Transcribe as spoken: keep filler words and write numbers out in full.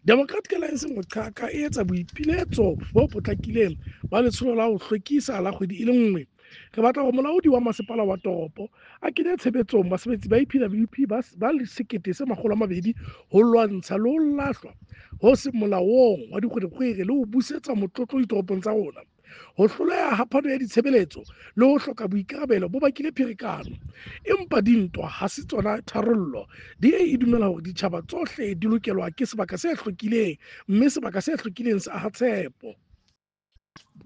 Democratic Alliance Moqhaka e etsa boipiletso bo potlakileng ba letsholo la ho hlwekisa la kgwedi e le nngwe. Re batla hore molaodi wa masepala wa toropo a kenye tshebetsong basebetsi ba E P W P ba ba sekete se makgolo a mabedi ho lwantsha le ho lahlwa ho seng molaong wa dikgwerekgwere le ho busetsa motlotlo ditoropong tsa rona. Ho hloleha ha phano ya ditshebeletso le ho hloka boikarabelo bo bakile pherekano. Empa dintwa ha se tsona tharollo. D A e dumela hore ditjhaba tsohle di lokelwa ke sebaka se hlwekileng, mme sebaka se hlwekileng se aha tshepo.